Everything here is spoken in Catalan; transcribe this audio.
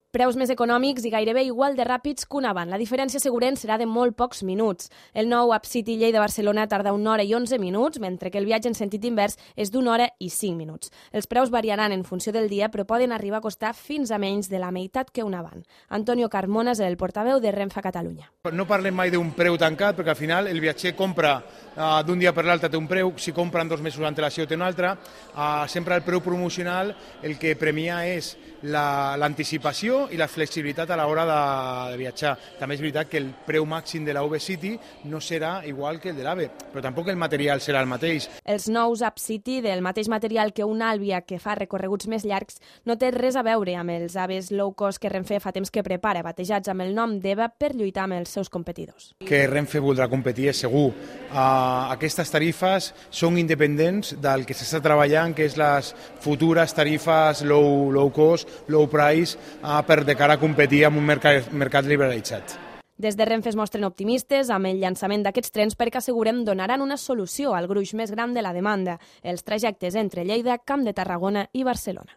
Preus més econòmics i gairebé igual de ràpids que un avant. La diferència segurament serà de molt pocs minuts. El nou UpCity Lleida-Barcelona tarda 1 hora i 11 minuts, mentre que el viatge en sentit invers és d'1 hora i 5 minuts. Els preus variaran en funció del dia, però poden arribar a costar fins a menys de la meitat que un avant. Antonio Carmona és el portaveu de Renfe a Catalunya. No parlem mai d'un preu tancat, perquè al final el viatger compra d'un dia per l'altre té un preu, si compra en 2 mesos d'antelació té un altre. Sempre el preu promocional el que premia és l'anticipació i la flexibilitat a l'hora de viatjar. També és veritat que el preu màxim de la UpCity no serà igual que el de l'AVE, però tampoc el material serà el mateix. Els nous UpCity, del mateix material que un Alvia que fa recorreguts més llargs, no té res a veure amb els AVEs low cost que Renfe fa temps que prepara, batejats amb el nom d'EVA per lluitar amb els seus competidors. Que Renfe voldrà competir és segur. Aquestes tarifes són independents del que s'està treballant, que és les futures tarifes low cost, low price, de cara a competir amb un mercat liberalitzat. Des de Renfe es mostren optimistes amb el llançament d'aquests trens perquè assegurem donaran una solució al gruix més gran de la demanda, els trajectes entre Lleida, Camp de Tarragona i Barcelona.